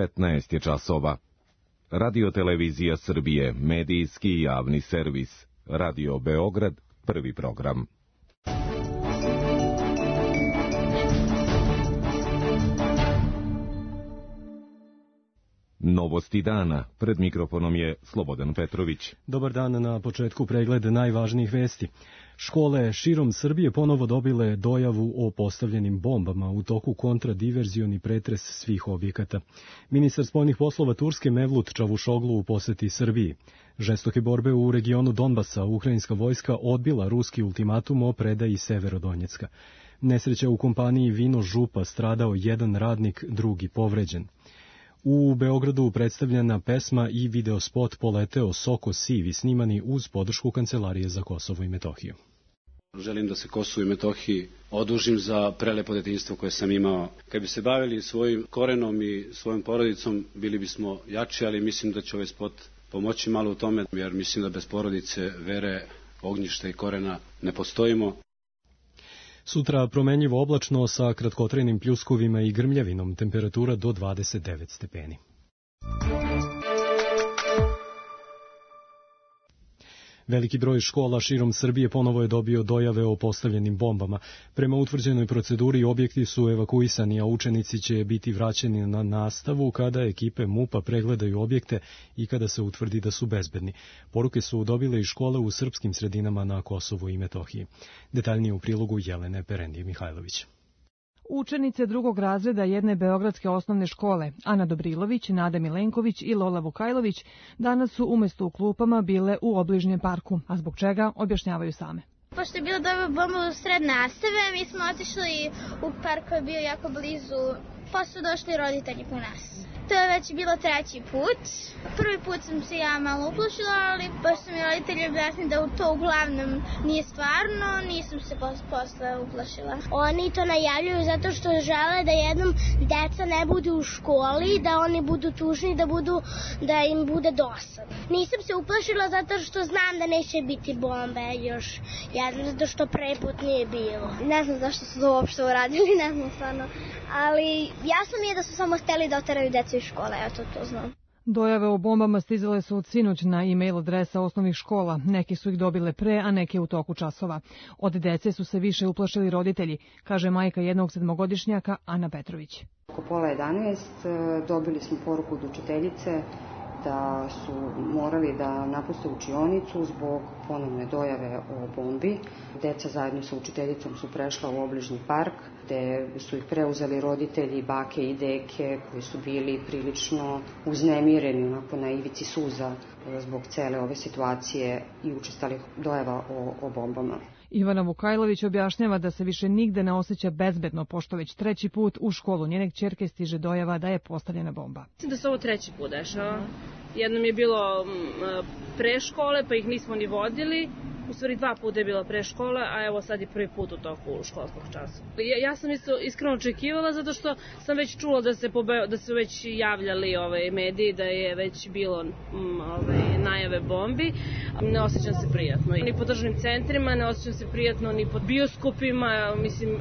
15 je časova. Radio-televizija Srbije, medijski i javni servis. Radio Beograd, prvi program. Novosti dana. Pred mikrofonom je Slobodan Petrović. Dobar dan, na početku pregled najvažnijih vesti. Škole širom Srbije ponovo dobile dojavu o postavljenim bombama u toku kontradiverzioni pretres svih objekata. Ministar spoljnih poslova Turske Mevlut Čavuşoglu u poseti Srbiji. Žestoke borbe u regionu Donbasa, ukrajinska vojska odbila ruski ultimatum o predaji Severodonjecka. Nesreća u kompaniji Vino Župa, stradao jedan radnik, drugi povređen. U Beogradu predstavljena pesma i videospot Poleteo Soko Sivi, snimani uz podršku Kancelarije za Kosovo i Metohiju. Želim da se Kosovo i Metohiji odužim za prelepo detinjstvo koje sam imao. Kad bi se bavili svojim korenom i svojom porodicom, bili bismo jači, ali mislim da će ovaj spot pomoći malo u tome, jer mislim da bez porodice, vere, ognjišta i korena ne postojimo. Sutra promenljivo oblačno sa kratkotrajnim pljuskovima i grmljavinom, temperatura do 29 stepeni. Veliki broj škola širom Srbije ponovo je dobio dojave o postavljenim bombama. Prema utvrđenoj proceduri objekti su evakuisani, a učenici će biti vraćeni na nastavu kada ekipe MUP-a pregledaju objekte i kada se utvrdi da su bezbedni. Poruke su dobile i škole u srpskim sredinama na Kosovu i Metohiji. Detaljnije u prilogu Jelene Perendije Mihajlović. Učenice drugog razreda jedne beogradske osnovne škole, Ana Dobrilović, Nada Milenković i Lola Vukajlović, danas su umesto u klupama bile u obližnjem parku, a zbog čega objašnjavaju same. Pošto je bila dobra bomba u sred nastave, mi smo otišli u park koji je bio jako blizu, pa su došli roditelji po nas. To je već bilo treći put. Prvi put sam se ja malo uplašila, ali pošto su mi roditelji objasnili da to uglavnom nije stvarno, nisam se posle uplašila. Oni to najavljuju zato što žele da jednom deca ne budu u školi, da oni budu tužni, da im bude dosadno. Nisam se uplašila zato što znam da neće biti bombe još jedno, zato što prvi put nije bilo. Ne znam zašto su to uopšte uradili, ne znam stvarno, ali jasno mi je da su samo hteli da oteraju decu iz škole, ja to znam. Dojave o bombama stizale su od sinoć na e-mail adresa osnovnih škola. Neki su ih dobile pre, a neke u toku časova. Od dece su se više uplašili roditelji, kaže majka jednog 7-godišnjaka Ana Petrović. Oko pola 11 dobili smo poruku od učiteljice da su morali da napuste učionicu zbog ponovne dojave o bombi. Deca zajedno sa učiteljicom su prešla u obližnji park, gde su ih preuzeli roditelji, bake i deke, koji su bili prilično uznemireni, onako na ivici suza zbog cele ove situacije i učestalih dojava o bombama. Ivana Vukajlović objašnjava da se više nigde ne osjeća bezbedno, pošto već treći put u školu njene kćerke stiže dojava da je postavljena bomba. Mislim da se ovo treći put dešava. Jednom je bilo pre škole, pa ih nismo ni vodili. U stvari 2 puta je bila pre škole, a evo sad je prvi put u toku školskog časa. Ja sam iskreno očekivala zato što sam već čula da su već javljali mediji, da je već bilo najave bombi. Ne osjećam se prijatno. Ni po državnim centrima, ne osjećam se prijatno ni pod bioskopima,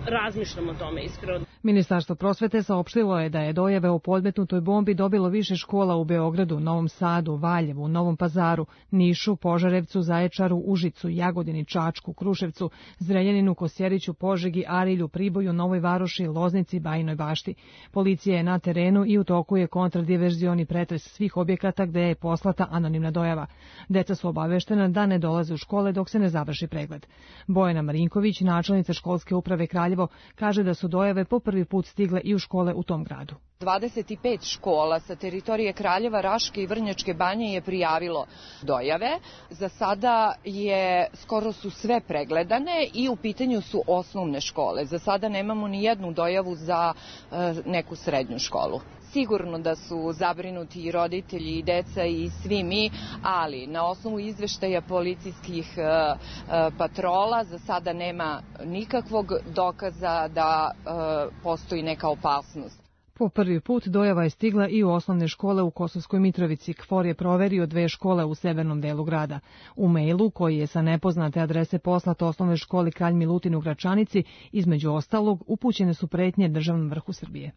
razmišljam o tome iskreno. Ministarstvo prosvete saopštilo je da je dojave o podmetnutoj bombi dobilo više škola u Beogradu, Novom Sadu, Valjevu, Novom Pazaru, Nišu, Požarevcu, Zaječaru, Užicu, Jagodini, Čačku, Kruševcu, Zrenjaninu, Kosjeriću, Požegi, Arilju, Priboju, Novoj Varoši, Loznici, Bajinoj Bašti. Policija je na terenu i u toku je kontradiverzioni pretres svih objekata gde je poslata anonimna dojava. Deca su obaveštena da ne dolaze u škole dok se ne završi pregled. Bojana Marinković, načelnica školske uprave Kraljevo, kaže da su dojave po prvi put stigle i u škole u tom gradu. 25 škola sa teritorije Kraljeva, Raške i Vrnjačke Banje je prijavilo dojave. Za sada skoro su sve pregledane i u pitanju su osnovne škole. Za sada nemamo ni jednu dojavu za neku srednju školu. Sigurno da su zabrinuti i roditelji i deca i svi mi, ali na osnovu izveštaja policijskih patrola za sada nema nikakvog dokaza da postoji neka opasnost. Po prvi put dojava je stigla i u osnovne škole u Kosovskoj Mitrovici. KFOR je proverio 2 škole u severnom delu grada. U mailu, koji je sa nepoznate adrese poslat osnovnoj školi Kralj Milutin u Gračanici, između ostalog, upućene su pretnje državnom vrhu Srbije.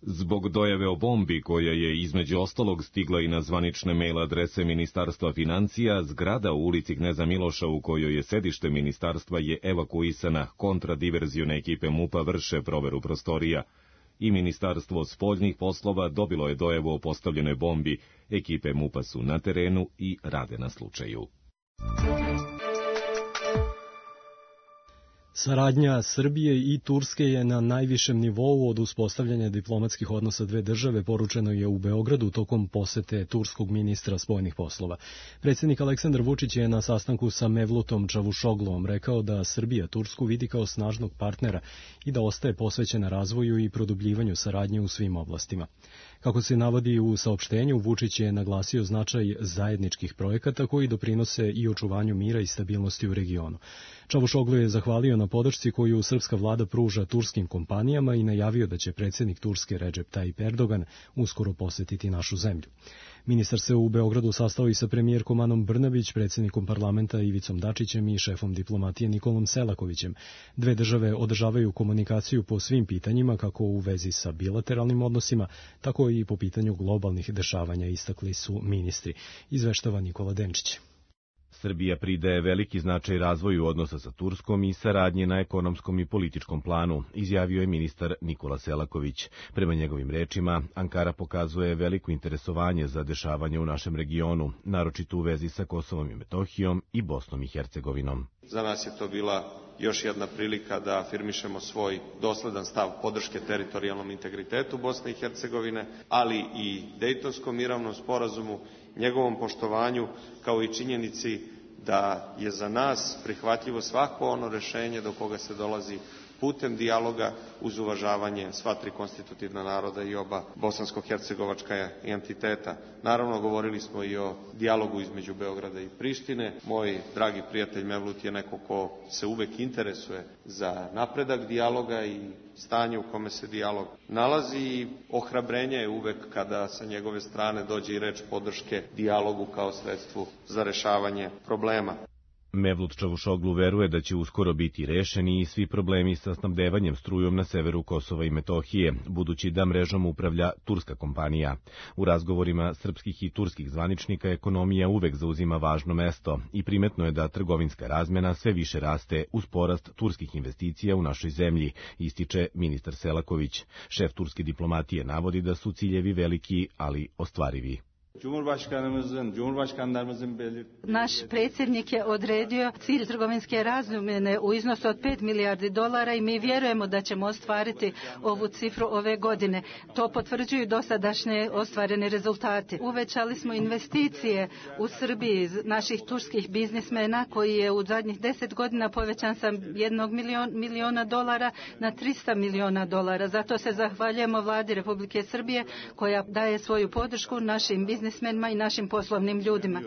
Zbog dojave o bombi, koja je između ostalog stigla i na zvanične mail adrese Ministarstva financija, zgrada u ulici Kneza Miloša u kojoj je sedište ministarstva je evakuisana. Kontradiverzione ekipe MUP-a vrše proveru prostorija. I Ministarstvo spoljnih poslova dobilo je dojavu o postavljenoj bombi. Ekipe MUP-a su na terenu i rade na slučaju. Saradnja Srbije i Turske je na najvišem nivou od uspostavljanja diplomatskih odnosa dve države, poručeno je u Beogradu tokom posete turskog ministra spoljnih poslova. Predsjednik Aleksandar Vučić je na sastanku sa Mevlutom Čavuşogluom rekao da Srbija Tursku vidi kao snažnog partnera i da ostaje posvećena razvoju i produbljivanju saradnje u svim oblastima. Kako se navodi u saopštenju, Vučić je naglasio značaj zajedničkih projekata koji doprinose i očuvanju mira i stabilnosti u regionu. Čavuşoglu je zahvalio na podršci koju srpska vlada pruža turskim kompanijama i najavio da će predsjednik Turske Recep Tayyip Erdogan uskoro posetiti našu zemlju. Ministar se u Beogradu sastao i sa premijerkom Anom Brnabić, predsjednikom parlamenta Ivicom Dačićem i šefom diplomatije Nikolom Selakovićem. Dve države održavaju komunikaciju po svim pitanjima, kako u vezi sa bilateralnim odnosima, tako i po pitanju globalnih dešavanja, istakli su ministri. Izveštava Nikola Denčić. Srbija pridaje veliki značaj razvoju odnosa sa Turskom i saradnje na ekonomskom i političkom planu, izjavio je ministar Nikola Selaković. Prema njegovim rečima, Ankara pokazuje veliko interesovanje za dešavanje u našem regionu, naročito u vezi sa Kosovom i Metohijom i Bosnom i Hercegovinom. Za nas je to bila još jedna prilika da afirmišemo svoj dosledan stav podrške teritorijalnom integritetu Bosne i Hercegovine, ali i Dejtonskom mirovnom sporazumu, njegovom poštovanju, kao i činjenici da je za nas prihvatljivo svako ono rešenje do koga se dolazi putem dijaloga uz uvažavanje sva tri konstitutivna naroda i oba bosansko-hercegovačka entiteta. Naravno, govorili smo i o dijalogu između Beograda i Prištine. Moj dragi prijatelj Mevlut je neko ko se uvek interesuje za napredak dijaloga i stanje u kome se dijalog nalazi i ohrabrenje je uvek kada sa njegove strane dođe i reč podrške dijalogu kao sredstvu za rešavanje problema. Mevlut Čavuşoglu veruje da će uskoro biti rešeni i svi problemi sa snabdevanjem strujom na severu Kosova i Metohije, budući da mrežom upravlja turska kompanija. U razgovorima srpskih i turskih zvaničnika ekonomija uvek zauzima važno mesto i primetno je da trgovinska razmena sve više raste uz porast turskih investicija u našoj zemlji, ističe ministar Selaković. Šef turske diplomatije navodi da su ciljevi veliki, ali ostvarivi. Naš predsjednik je odredio cilj trgovinske razmjene u iznosu od 5 milijardi dolara i mi vjerujemo da ćemo ostvariti ovu cifru ove godine. To potvrđuju dosadašnje ostvarene rezultate. Uvećali smo investicije u Srbiji naših turskih biznismena koji je u zadnjih 10 godina povećan sa 1 miliona dolara na 300 miliona dolara. Zato se zahvaljujemo vladi Republike Srbije koja daje svoju podršku našim biznismenima i našim poslovnim ljudima.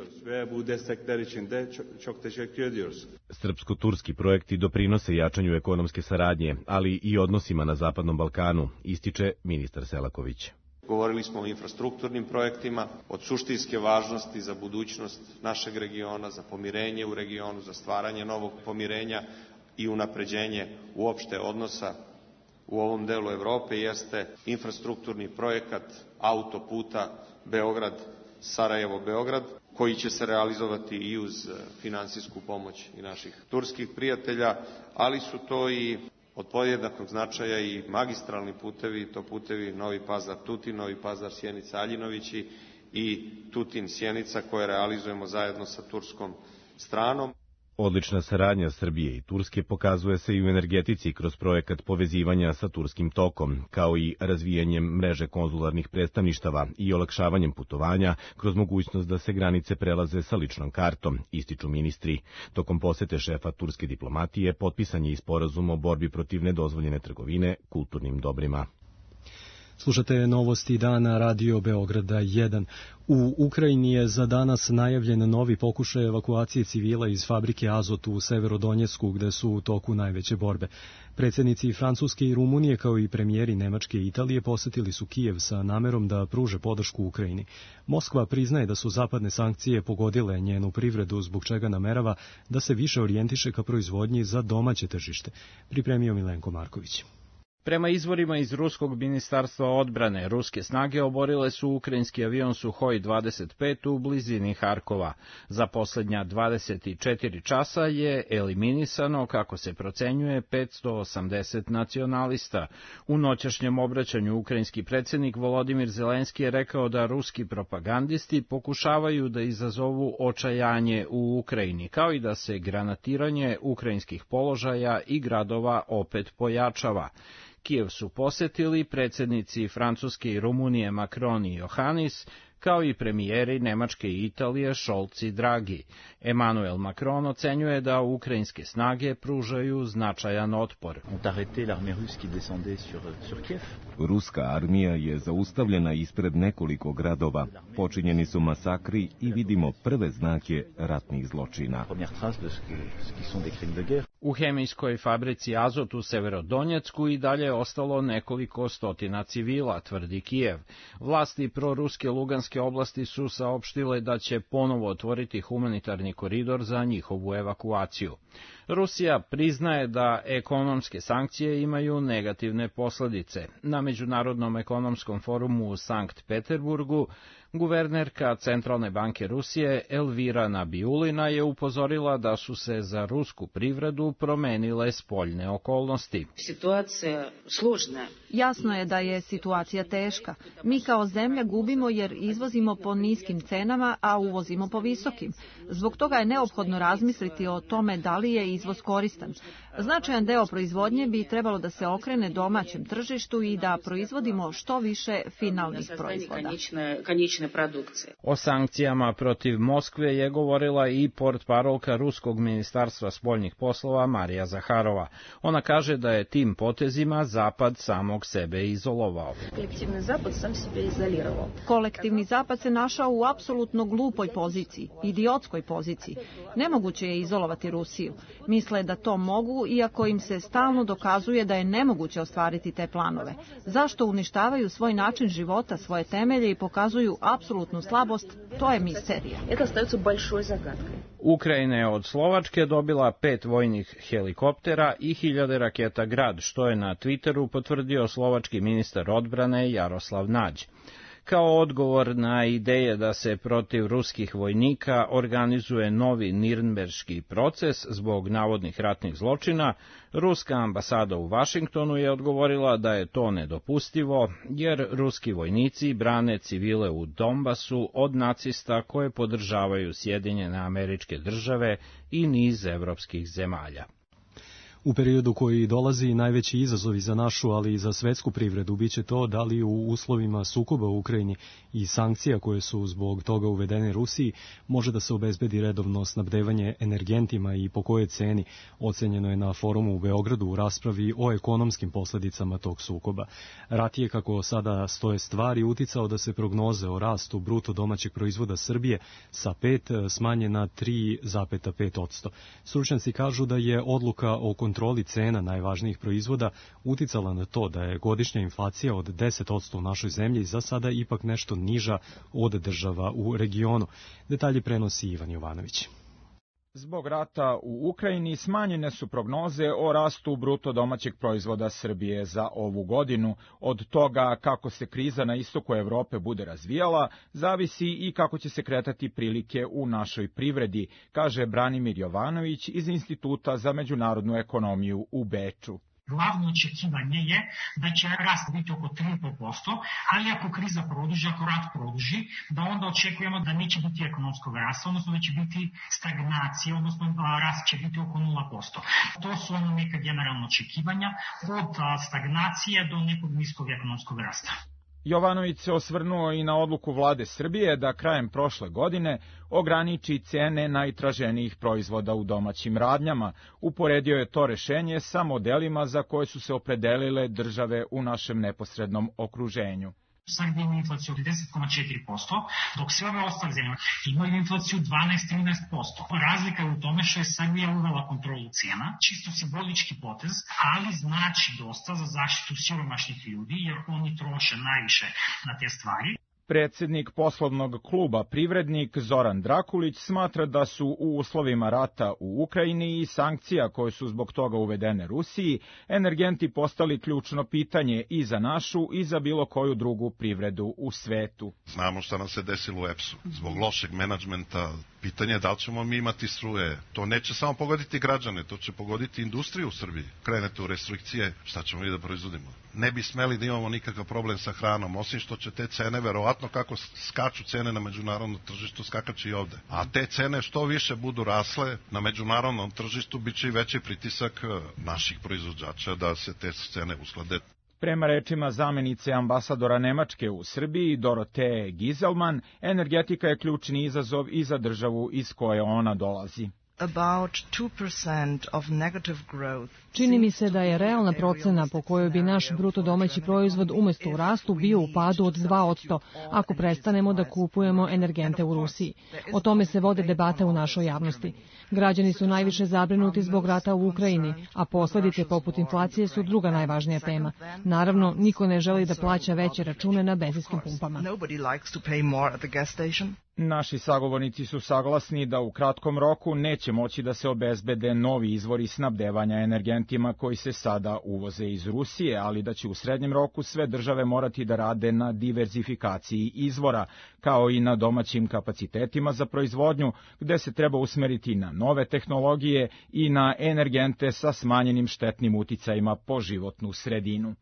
Srpsko-turski projekti doprinose jačanju ekonomske saradnje, ali i odnosima na Zapadnom Balkanu, ističe ministar Selaković. Govorili smo o infrastrukturnim projektima, od suštinske važnosti za budućnost našeg regiona, za pomirenje u regionu, za stvaranje novog pomirenja i unapređenje uopšte odnosa u ovom delu Evrope jeste infrastrukturni projekat autoputa Beograd-Sarajevo-Beograd, koji će se realizovati i uz finansijsku pomoć i naših turskih prijatelja, ali su to i od podjednakog značaja i magistralni putevi, to putevi Novi Pazar-Tutin, Novi Pazar-Sjenica-Aljinovići i Tutin-Sjenica koje realizujemo zajedno sa turskom stranom. Odlična saradnja Srbije i Turske pokazuje se i u energetici kroz projekat povezivanja sa Turskim tokom, kao i razvijanjem mreže konzularnih predstavništava i olakšavanjem putovanja kroz mogućnost da se granice prelaze sa ličnom kartom, ističu ministri. Tokom posete šefa turske diplomatije potpisan je i sporazum o borbi protiv nedozvoljene trgovine kulturnim dobrima. Slušate novosti dana Radio Beograda 1. U Ukrajini je za danas najavljen novi pokušaj evakuacije civila iz fabrike Azot u Severodonjecku, gde su u toku najveće borbe. Predsjednici Francuske i Rumunije, kao i premijeri Nemačke i Italije, posetili su Kijev sa namerom da pruže podršku Ukrajini. Moskva priznaje da su zapadne sankcije pogodile njenu privredu, zbog čega namerava da se više orijentiše ka proizvodnji za domaće tržište. Pripremio Milenko Marković. Prema izvorima iz ruskog ministarstva odbrane, ruske snage oborile su ukrajinski avion Suhoj 25 u blizini Harkova. Za poslednja 24 časa je eliminisano, kako se procenjuje, 580 nacionalista. U noćašnjem obraćanju ukrajinski predsjednik Volodimir Zelenski je rekao da ruski propagandisti pokušavaju da izazovu očajanje u Ukrajini, kao i da se granatiranje ukrajinskih položaja i gradova opet pojačava. Kijev su posetili predsjednici Francuske i Rumunije Macron i Johannis, kao i premijeri Nemačke i Italije Scholz i Draghi. Emmanuel Macron ocenjuje da ukrajinske snage pružaju značajan otpor. Ruska armija je zaustavljena ispred nekoliko gradova. Počinjeni su masakri i vidimo prve znake ratnih zločina. U hemijskoj fabrici Azot u Severodonjecku i dalje je ostalo nekoliko stotina civila, tvrdi Kijev. Vlasti proruske Luganske oblasti su saopštile da će ponovo otvoriti humanitarni koridor za njihovu evakuaciju. Rusija priznaje da ekonomske sankcije imaju negativne posledice. Na Međunarodnom ekonomskom forumu u Sankt Peterburgu guvernerka Centralne banke Rusije Elvira Nabiulina je upozorila da su se za rusku privredu promenile spoljne okolnosti. Situacija složna. Jasno je da je situacija teška. Mi kao zemlja gubimo jer izvozimo po niskim cenama, a uvozimo po visokim. Zbog toga je neophodno razmisliti o tome da li je izvoz koristan. Značajan deo proizvodnje bi trebalo da se okrene domaćem tržištu i da proizvodimo što više finalnih proizvoda. O sankcijama protiv Moskve je govorila i portparolka Ruskog ministarstva spoljnih poslova Marija Zaharova. Ona kaže da je tim potezima Zapad samog sebe izolovao. Kolektivni Zapad se našao u apsolutno glupoj poziciji, idiotskoj poziciji. Nemoguće je izolovati Rusiju. Misle da to mogu, iako im se stalno dokazuje da je nemoguće ostvariti te planove. Zašto uništavaju svoj način života, svoje temelje i pokazuju apsolutnu slabost, to je misterija. Ukrajina je od Slovačke dobila 5 vojnih helikoptera i 1000 raketa Grad, što je na Twitteru potvrdio slovački ministar odbrane Jaroslav Nađ. Kao odgovor na ideje da se protiv ruskih vojnika organizuje novi Nirnberški proces zbog navodnih ratnih zločina, ruska ambasada u Vašingtonu je odgovorila da je to nedopustivo, jer ruski vojnici brane civile u Donbasu od nacista koje podržavaju Sjedinjene Američke Države i niz evropskih zemalja. U periodu koji dolazi najveći izazovi za našu, ali i za svetsku privredu biće to da li u uslovima sukoba u Ukrajini i sankcija koje su zbog toga uvedene Rusiji može da se obezbedi redovno snabdevanje energentima i po kojoj ceni, ocenjeno je na forumu u Beogradu u raspravi o ekonomskim posledicama tog sukoba. Rat je, kako sada stoje stvari, uticao da se prognoze o rastu bruto domaćeg proizvoda Srbije sa 5 smanje na 3,5%. Stručnjaci kažu da je odluka o kontroli cena najvažnijih proizvoda uticala na to da je godišnja inflacija od 10% u našoj zemlji za sada ipak nešto niža od država u regionu. Detalje prenosi Ivan Jovanović. Zbog rata u Ukrajini smanjene su prognoze o rastu bruto domaćeg proizvoda Srbije za ovu godinu. Od toga kako se kriza na istoku Evrope bude razvijala, zavisi i kako će se kretati prilike u našoj privredi, kaže Branimir Jovanović iz Instituta za međunarodnu ekonomiju u Beču. Glavno očekivanje je da će rast biti oko 3,5%, ali ako kriza produži, ako rat produži, da onda očekujemo da neće biti ekonomskog rasta, odnosno da će biti stagnacija, odnosno rast će biti oko 0%. To su neka generalna očekivanja od stagnacije do nekog niskog ekonomskog rasta. Jovanović se osvrnuo i na odluku vlade Srbije da krajem prošle godine ograniči cene najtraženijih proizvoda u domaćim radnjama. Uporedio je to rešenje sa modelima za koje su se opredelile države u našem neposrednom okruženju. Srbija ima inflaciju od 10,4%, dok sve ove ostale zemlje imaju inflaciju 12-13%. Razlika je u tome što je Srbija uvela kontrolu cijena, čisto simbolički potez, ali znači dosta za zaštitu siromašnih ljudi, jer oni troše najviše na te stvari. Predsednik poslovnog kluba Privrednik Zoran Drakulić smatra da su u uslovima rata u Ukrajini i sankcija koje su zbog toga uvedene Rusiji, energenti postali ključno pitanje i za našu i za bilo koju drugu privredu u svetu. Znamo šta nam se desilo u EPS-u. Zbog lošeg menadžmenta pitanje je da li ćemo mi imati struje. To neće samo pogoditi građane, to će pogoditi industriju u Srbiji. Krenete u restrikcije, šta ćemo mi da proizvodimo? Ne bi smeli da imamo nikakav problem sa hranom, osim što će te cene, verovatno kako skaču cene na međunarodnom tržištu, skakaće i ovde. A te cene što više budu rasle na međunarodnom tržištu, bit će i veći pritisak naših proizvođača da se te cene usklade. Prema rečima zamenice ambasadora Nemačke u Srbiji, Doroteje Gizelman, energetika je ključni izazov i za državu iz koje ona dolazi. Čini mi se da je realna procena po kojoj bi naš bruto domaći proizvod umjesto u rastu bio u padu od 2% ako prestanemo da kupujemo energente u Rusiji. O tome se vode debate u našoj javnosti. Građani su najviše zabrinuti zbog rata u Ukrajini, a posljedice poput inflacije su druga najvažnija tema. Naravno, niko ne želi da plaća veće račune na benzinskim pumpama. Naši sagovornici su saglasni da u kratkom roku neće moći da se obezbede novi izvori snabdevanja energentima koji se sada uvoze iz Rusije, ali da će u srednjem roku sve države morati da rade na diverzifikaciji izvora, kao i na domaćim kapacitetima za proizvodnju, gde se treba usmeriti na nove tehnologije i na energente sa smanjenim štetnim uticajima po životnu sredinu.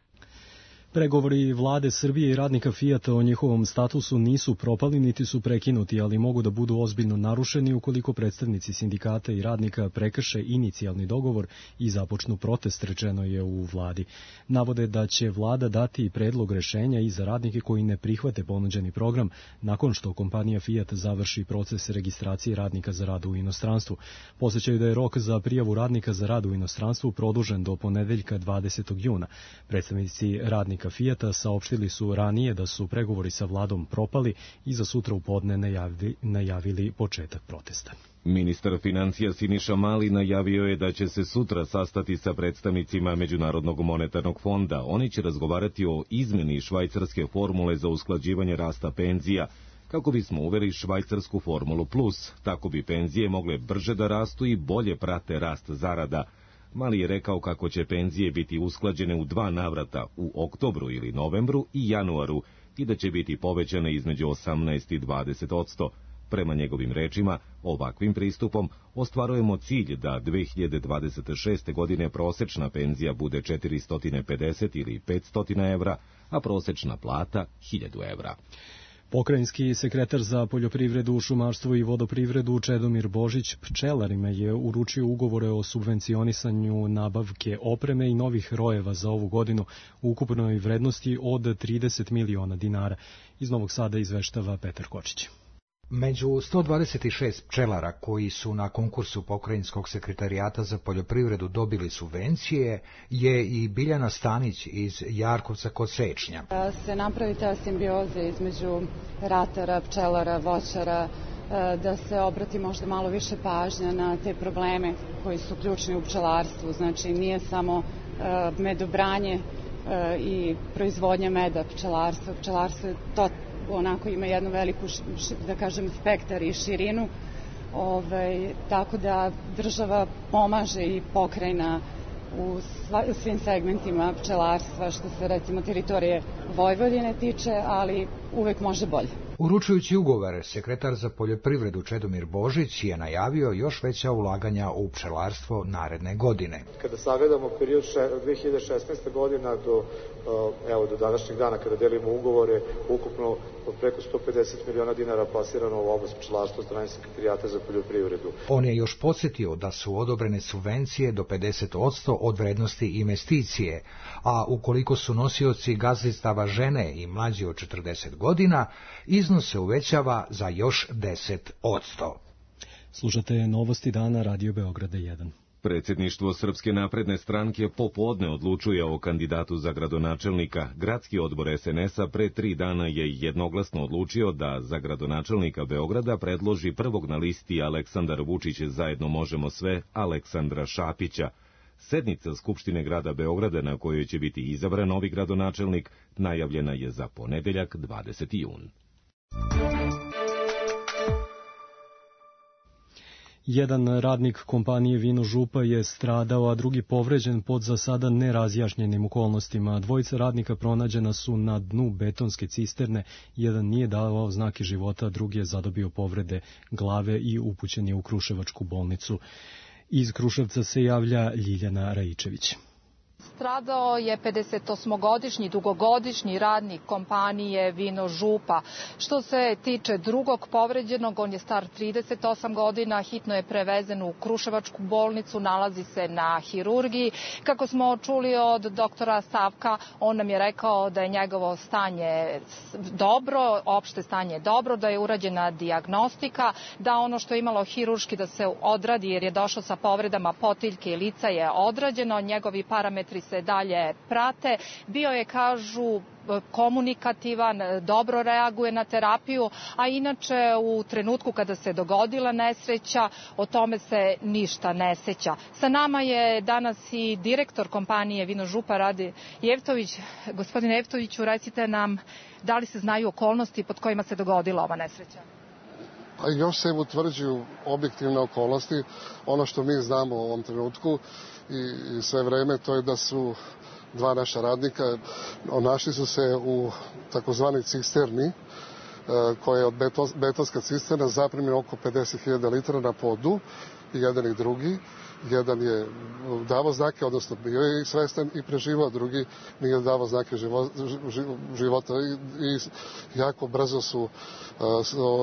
Pregovori vlade Srbije i radnika Fijata o njihovom statusu nisu propali niti su prekinuti, ali mogu da budu ozbiljno narušeni ukoliko predstavnici sindikata i radnika prekrše inicijalni dogovor i započnu protest, rečeno je u vladi. Navode da će vlada dati predlog rešenja i za radnike koji ne prihvate ponuđeni program nakon što kompanija Fijat završi proces registracije radnika za rad u inostranstvu. Podsećaju da je rok za prijavu radnika za rad u inostranstvu produžen do ponedeljka 20. juna. Predstavnici radnika Fijata saopštili su ranije da su pregovori sa vladom propali i za sutra u podne najavili početak protesta. Ministar financija Siniša Mali najavio je da će se sutra sastati sa predstavnicima Međunarodnog monetarnog fonda. Oni će razgovarati o izmeni švajcarske formule za usklađivanje rasta penzija, kako bismo uveli švajcarsku formulu plus, tako bi penzije mogle brže da rastu i bolje prate rast zarada. Mali je rekao kako će penzije biti usklađene u 2 navrata, u oktobru ili novembru i januaru, i da će biti povećane između 18 i 20%. Prema njegovim rečima, ovakvim pristupom ostvarujemo cilj da 2026. godine prosečna penzija bude 450 ili 500 evra, a prosečna plata 1000 evra. Pokrajinski sekretar za poljoprivredu, šumarstvo i vodoprivredu Čedomir Božić pčelarima je uručio ugovore o subvencionisanju nabavke opreme i novih rojeva za ovu godinu u ukupnoj vrednosti od 30 miliona dinara. Iz Novog Sada izveštava Petar Kočić. Među 126 pčelara koji su na konkursu Pokrajinskog sekretarijata za poljoprivredu dobili subvencije je i Biljana Stanić iz Jarkovca kod Sečnja. Da se napravi ta simbioza između ratara, pčelara, voćara, da se obrati možda malo više pažnja na te probleme koji su ključni u pčelarstvu. Znači nije samo medobranje i proizvodnja meda pčelarstva. Pčelarstvo je to onako ima jednu veliku, da kažem, spektar i širinu, tako da država pomaže i pokrajina u svim segmentima pčelarstva, što se recimo teritorije Vojvodine tiče, ali uvek može bolje. Uručujući ugovor, sekretar za poljoprivredu Čedomir Božić je najavio još veća ulaganja u pčelarstvo naredne godine. Kada sagledamo period 2016. godina do današnjeg dana, kada delimo ugovore, ukupno preko 150 miliona dinara plasirano u oblast pčelarstva od strane sekretarijata za poljoprivredu. On je još podsjetio da su odobrene subvencije do 50% od vrednosti investicije, a ukoliko su nosioci gazdinstava žene i mlađi od 40 godina, iznos se uvećava za još 10%. Slušate novosti dana Radio Beograda 1. Predsjedništvo Srpske napredne stranke popodne odlučuje o kandidatu za gradonačelnika. Gradski odbor SNS-a pre 3 dana je jednoglasno odlučio da za gradonačelnika Beograda predloži prvog na listi Aleksandar Vučić zajedno možemo sve Aleksandra Šapića. Sednica Skupštine grada Beograda na kojoj će biti izabran novi gradonačelnik najavljena je za ponedeljak 20. jun. Jedan radnik kompanije Vino Župa je stradao, a drugi povređen pod za sada nerazjašnjenim okolnostima. Dvojica radnika pronađena su na dnu betonske cisterne, jedan nije davao znake života, drugi je zadobio povrede glave i upućen je u Kruševačku bolnicu. Iz Kruševca se javlja Ljiljana Rajičević. Stradao je 58-godišnji dugogodišnji radnik kompanije Vino Župa. Što se tiče drugog povređenog, on je star 38 godina, hitno je prevezen u Kruševačku bolnicu, nalazi se na hirurgiji. Kako smo čuli od doktora Savka, on nam je rekao da je njegovo stanje dobro, opšte stanje je dobro, da je urađena dijagnostika, da ono što je imalo hirurški da se odradi jer je došao sa povredama potiljke i lica je odrađeno, njegovi parametri se dalje prate. Bio je, kažu, komunikativan, dobro reaguje na terapiju, a inače u trenutku kada se dogodila nesreća, o tome se ništa ne seća. Sa nama je danas i direktor kompanije Vino Župa Rade Jevtović. Gospodine Jevtoviću, recite nam da li se znaju okolnosti pod kojima se dogodila ova nesreća? Pa još se utvrđuju objektivne okolnosti. Ono što mi znamo u ovom trenutku i sve vreme, to je da su dva naša radnika našli su se u takozvani cisterni, koja je od betonska cisterna, zaprimljena oko 50.000 litara na podu, i jedan i drugi. Jedan je davao znake, odnosno bio je svestan i preživao, drugi nije davao znake života i jako brzo su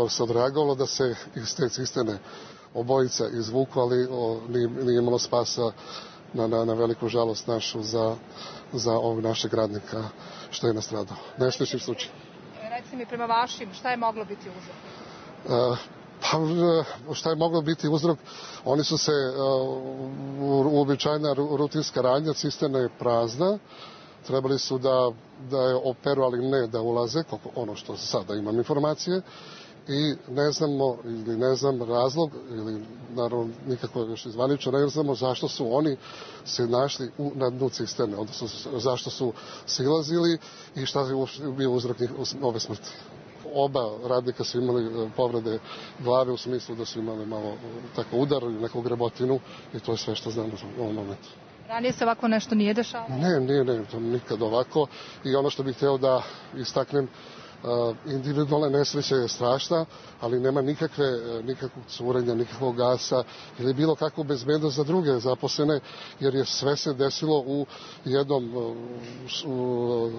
se odreagovalo da se iz te cisterne obojica izvuku, ali nije imalo spasa na veliku žalost našu za ovog našeg radnika što je nastradao. Nesrećni slučaj. Reci mi, prema vašim, šta je moglo biti uzrok? Pa šta je moglo biti uzrok? Oni su se uobičajena rutinska radnja, cisterna je prazna, trebali su da je operu, ali ne da ulaze, ono što sada imam informacije, i ne znamo ili ne znam razlog, ili naravno nikako još izvanično ne znamo zašto su oni se našli na dnu cisterne, odnosno zašto su silazili i šta je bio uzrok ove smrti. Oba radnika su imali povrede glave u smislu da su imali malo tako udar ili neku grebotinu i to je sve što znamo u ovom momentu. Ranije se ovako nešto nije dešavalo? Ne, to nikad ovako. I ono što bih hteo da istaknem, individualna nesreća je strašna, ali nema nikakvog curenja, nikakvog gasa ili bilo kakvu bezbednost za druge zaposlene, jer je sve se desilo u jednom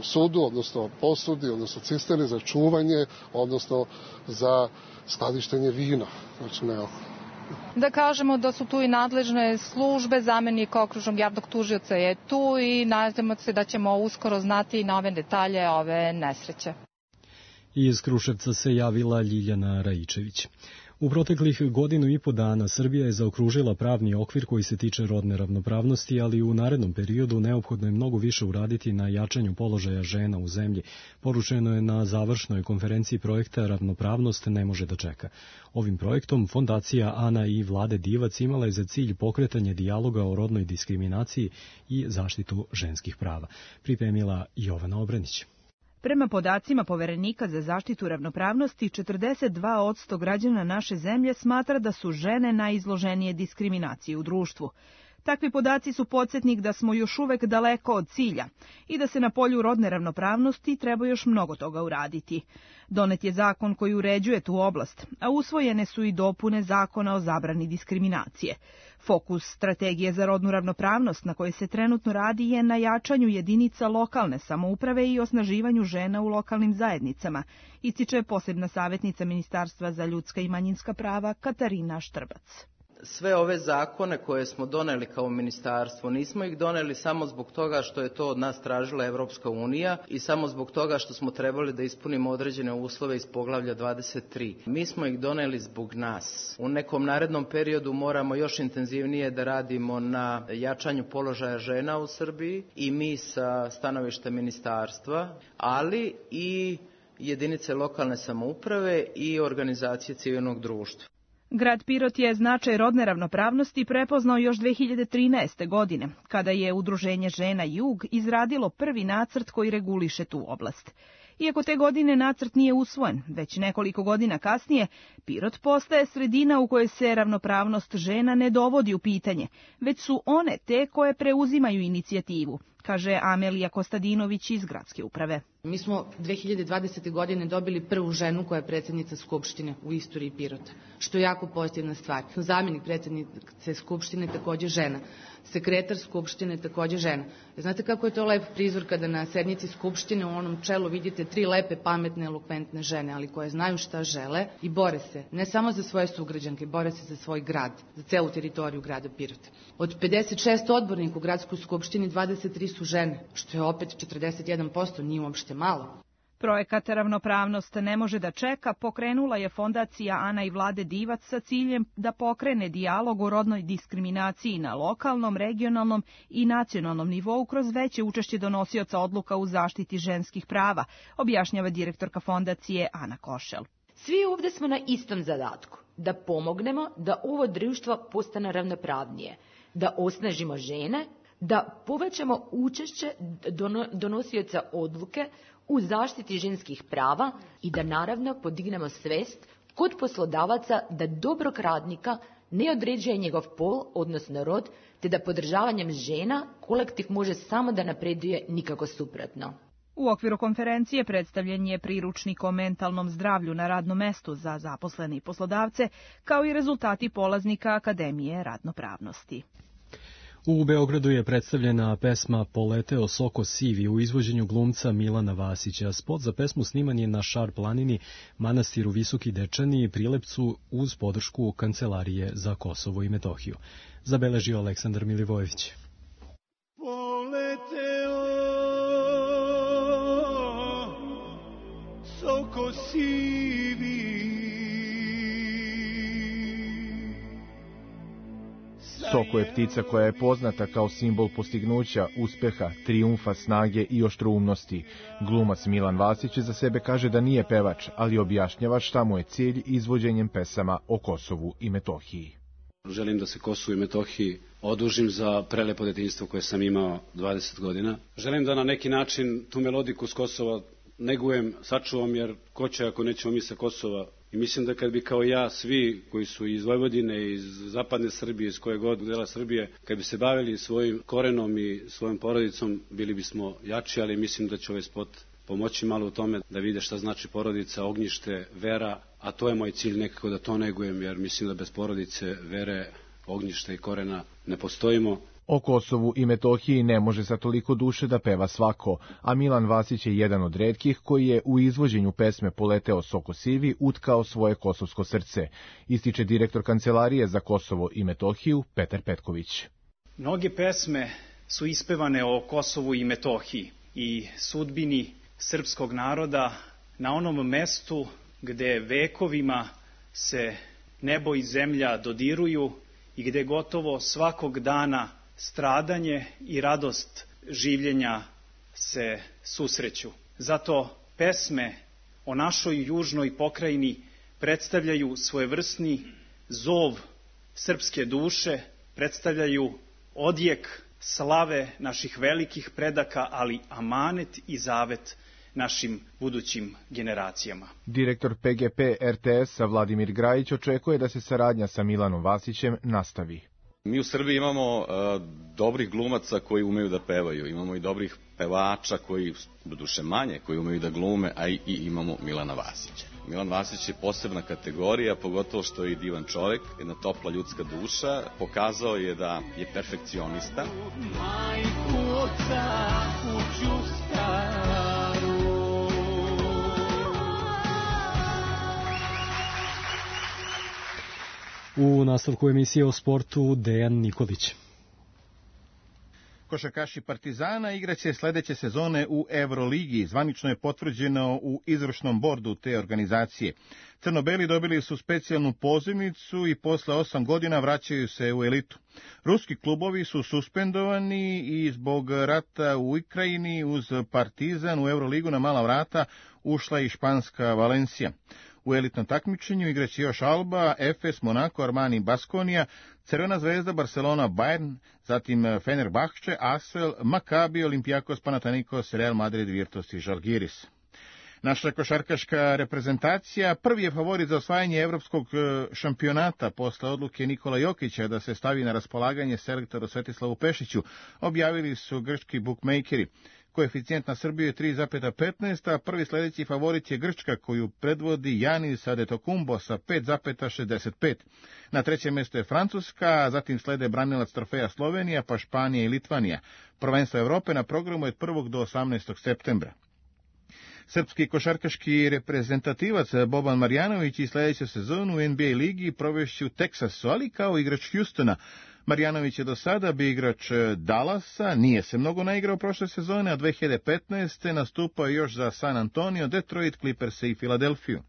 sudu, odnosno posudi, odnosno cisterni za čuvanje, odnosno za skladištenje vina. Znači, ne alkohol. Da kažemo da su tu i nadležne službe, zamenik okružnog javnog tužioca je tu i nadamo se da ćemo uskoro znati i nove detalje ove nesreće. Iz Kruševca se javila Ljiljana Rajičević. U proteklih 1.5 godina Srbija je zaokružila pravni okvir koji se tiče rodne ravnopravnosti, ali u narednom periodu neophodno je mnogo više uraditi na jačanju položaja žena u zemlji. Poručeno je na završnoj konferenciji projekta Ravnopravnost ne može da čeka. Ovim projektom Fondacija Ana i Vlade Divac imala je za cilj pokretanje dijaloga o rodnoj diskriminaciji i zaštitu ženskih prava. Pripremila Jovana Obrenić. Prema podacima Poverenika za zaštitu ravnopravnosti, 42% građana naše zemlje smatra da su žene najizloženije diskriminaciji u društvu. Takvi podaci su podsjetnik da smo još uvek daleko od cilja i da se na polju rodne ravnopravnosti treba još mnogo toga uraditi. Donet je zakon koji uređuje tu oblast, a usvojene su i dopune zakona o zabrani diskriminacije. Fokus strategije za rodnu ravnopravnost na kojoj se trenutno radi je na jačanju jedinica lokalne samouprave i osnaživanju žena u lokalnim zajednicama, ističe posebna savjetnica Ministarstva za ljudska i manjinska prava Katarina Štrbac. Sve ove zakone koje smo doneli kao ministarstvo, nismo ih doneli samo zbog toga što je to od nas tražila Evropska unija i samo zbog toga što smo trebali da ispunimo određene uslove iz poglavlja 23. Mi smo ih doneli zbog nas. U nekom narednom periodu moramo još intenzivnije da radimo na jačanju položaja žena u Srbiji i mi sa stanovišta ministarstva, ali i jedinice lokalne samouprave i organizacije civilnog društva. Grad Pirot je značaj rodne ravnopravnosti prepoznao još 2013. godine, kada je Udruženje žena Jug izradilo prvi nacrt koji reguliše tu oblast. Iako te godine nacrt nije usvojen, već nekoliko godina kasnije, Pirot postaje sredina u kojoj se ravnopravnost žena ne dovodi u pitanje, već su one te koje preuzimaju inicijativu, kaže Amelija Kostadinović iz gradske uprave. Mi smo 2020. godine dobili prvu ženu koja je predsjednica Skupštine u istoriji Pirota, što je jako pozitivna stvar. Zamjenik predsjednice Skupštine također žena, sekretar Skupštine također žena. Znate kako je to lep prizor kada na sednici Skupštine u onom čelu vidite 3 lepe, pametne, elokventne žene, ali koje znaju šta žele i bore se, ne samo za svoje sugrađanke, bore se za svoj grad, za celu teritoriju grada Pirota. Od 56 odbornika u gradskoj Skupštini 23 su žene, što je opet 41%, nije uopšte malo. Projekat Ravnopravnost ne može da čeka pokrenula je fondacija Ana i Vlade Divac sa ciljem da pokrene dijalog o rodnoj diskriminaciji na lokalnom, regionalnom i nacionalnom nivou kroz veće učešće donosioca odluka u zaštiti ženskih prava, objašnjava direktorka fondacije Ana Košel. Svi ovdje smo na istom zadatku, da pomognemo da ovo društvo postane ravnopravnije, da osnažimo žene, da povećamo učešće donosioca odluke u zaštiti ženskih prava i da naravno podignemo svest kod poslodavaca da dobrog radnika ne određuje njegov pol, odnosno rod, te da podržavanjem žena kolektiv može samo da napreduje, nikako suprotno. U okviru konferencije predstavljen je priručnik o mentalnom zdravlju na radnom mestu za zaposlene i poslodavce, kao i rezultati polaznika Akademije radnopravnosti. U Beogradu je predstavljena pesma Poleteo Soko Sivi u izvođenju glumca Milana Vasića. Spot za pesmu sniman je na Šar planini, manastiru Visoki Dečani i Prilepcu uz podršku Kancelarije za Kosovo i Metohiju. Zabeležio Aleksandar Milivojević. Poleteo Soko Sivi, Soko je ptica koja je poznata kao simbol postignuća, uspeha, trijumfa, snage i oštroumnosti. Glumac Milan Vasić za sebe kaže da nije pevač, ali objašnjava šta mu je cilj izvođenjem pesama o Kosovu i Metohiji. Želim da se Kosovu i Metohiji odužim za prelepo detinjstvo koje sam imao 20 godina. Želim da na neki način tu melodiku s Kosova negujem, sačuvam, jer ko će ako nećemo mi sa Kosova. I mislim da kad bi kao ja, svi koji su iz Vojvodine, iz zapadne Srbije, iz koje god dela Srbije, kad bi se bavili svojim korenom i svojom porodicom, bili bismo jači, ali mislim da će ovaj spot pomoći malo u tome da vide šta znači porodica, ognjište, vera, a to je moj cilj nekako da to negujem, jer mislim da bez porodice, vere, ognjišta i korena ne postojimo. O Kosovu i Metohiji ne može sa toliko duše da peva svako, a Milan Vasić je jedan od retkih koji je u izvođenju pesme Poleteo Soko Sivi utkao svoje kosovsko srce, ističe direktor Kancelarije za Kosovo i Metohiju Petar Petković. Mnoge pesme su ispevane o Kosovu i Metohiji i sudbini srpskog naroda na onom mestu gde vekovima se nebo i zemlja dodiruju i gde gotovo svakog dana stradanje i radost življenja se susreću. Zato pesme o našoj južnoj pokrajini predstavljaju svojevrsni zov srpske duše, predstavljaju odjek slave naših velikih predaka, ali amanet i zavet našim budućim generacijama. Direktor PGP RTS-a Vladimir Grajić očekuje da se saradnja sa Milanom Vasićem nastavi. Mi u Srbiji imamo dobrih glumaca koji umeju da pevaju, imamo i dobrih pevača koji, doduše manje, koji umeju da glume, a i imamo Milana Vasića. Milan Vasić je posebna kategorija, pogotovo što je i divan čovjek, jedna topla ljudska duša, pokazao je da je perfekcionista. Majku oca kuću staru. U nastavku emisije o sportu Dejan Nikolić. Košarkaši Partizana igraće sledeće sezone u Euroligi. Zvanično je potvrđeno u izvršnom bordu te organizacije. Crno-beli dobili su specijalnu pozivnicu i posle 8 godina vraćaju se u elitu. Ruski klubovi su suspendovani i zbog rata u Ukrajini uz Partizan u Euroligu na mala vrata ušla i španska Valencija. U elitnom takmičenju igraće još Alba, Efes, Monako, Armani, Baskonija, Crvena zvezda, Barcelona, Bayern, zatim Fenerbahče, Asvel, Maccabi, Olympiakos, Panathinaikos, Real Madrid, Virtus i Žalgiris. Naša košarkaška reprezentacija prvi je favorit za osvajanje evropskog šampionata posle odluke Nikola Jokića da se stavi na raspolaganje selektoru Svetislavu Pešiću, objavili su grčki bukmejkeri. Koeficijent na Srbiju je 3,15, a prvi sledeći favorit je Grčka koju predvodi Janis Adetokumbo sa 5,65. Na trećem mjestu je Francuska, a zatim slede branilac trofeja Slovenija, pa Španija i Litvanija. Prvenstvo Evrope na programu je od 1. do 18. septembra. Srpski košarkaški reprezentativac Boban Marjanović i sledeću sezonu u NBA ligi provešće u Teksasu, ali kao igrač Houstona. Marjanović je do sada bio igrač Dallasa, nije se mnogo naigrao prošle sezone, a 2015. nastupao još za San Antonio, Detroit, Clippers i Filadelfiju.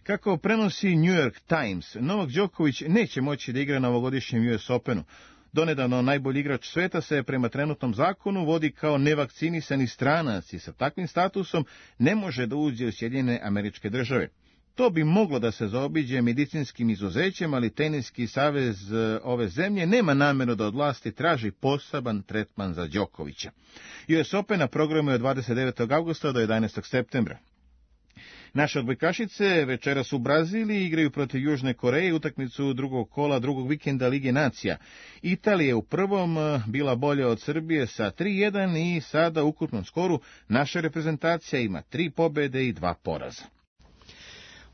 Kako prenosi New York Times, Novak Đoković neće moći da igra na ovogodišnjem US Openu. Donedavno najbolji igrač sveta se prema trenutnom zakonu vodi kao nevakcinisani stranac i sa takvim statusom ne može da uđe u Sjedinjene Američke Države. To bi moglo da se zaobiđe medicinskim izuzećem, ali Teniski savez ove zemlje nema nameru da od vlasti traži poseban tretman za Đokovića. US Open na programu je od 29. augusta do 11. septembra. Naše odbojkašice večeras u Braziliji igraju protiv Južne Koreje utakmicu drugog kola drugog vikenda Lige nacija. Italija je u prvom bila bolja od Srbije sa 3-1 i sada u ukupnom skoru naša reprezentacija ima 3 pobede i 2 poraza.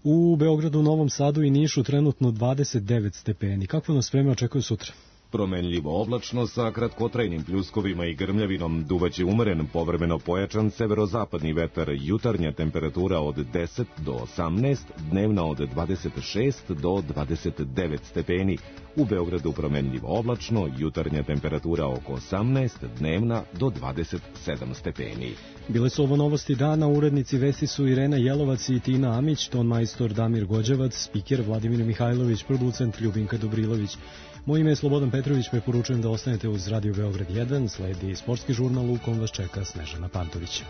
U Beogradu, Novom Sadu i Nišu trenutno 29 stepeni. Kakvo nas vreme očekuje sutra? Promenljivo oblačno sa kratkotrajnim pljuskovima i grmljavinom, duvaće umeren, povremeno pojačan severozapadni vetar, jutarnja temperatura od 10 do 18, dnevna od 26 do 29 stepeni. U Beogradu promenljivo oblačno, jutarnja temperatura oko 18, dnevna do 27 stepeni. Bile su ovo novosti dana, urednici vesti su Irena Jelovac i Tina Amić, ton majstor Damir Gođevac, spiker Vladimir Mihajlović, producent Ljubinka Dobrilović. Moje ime je Slobodan Petrović, preporučujem da ostanete uz Radio Beograd 1, sledi sportski žurnal u kom vas čeka Snežana Pantović.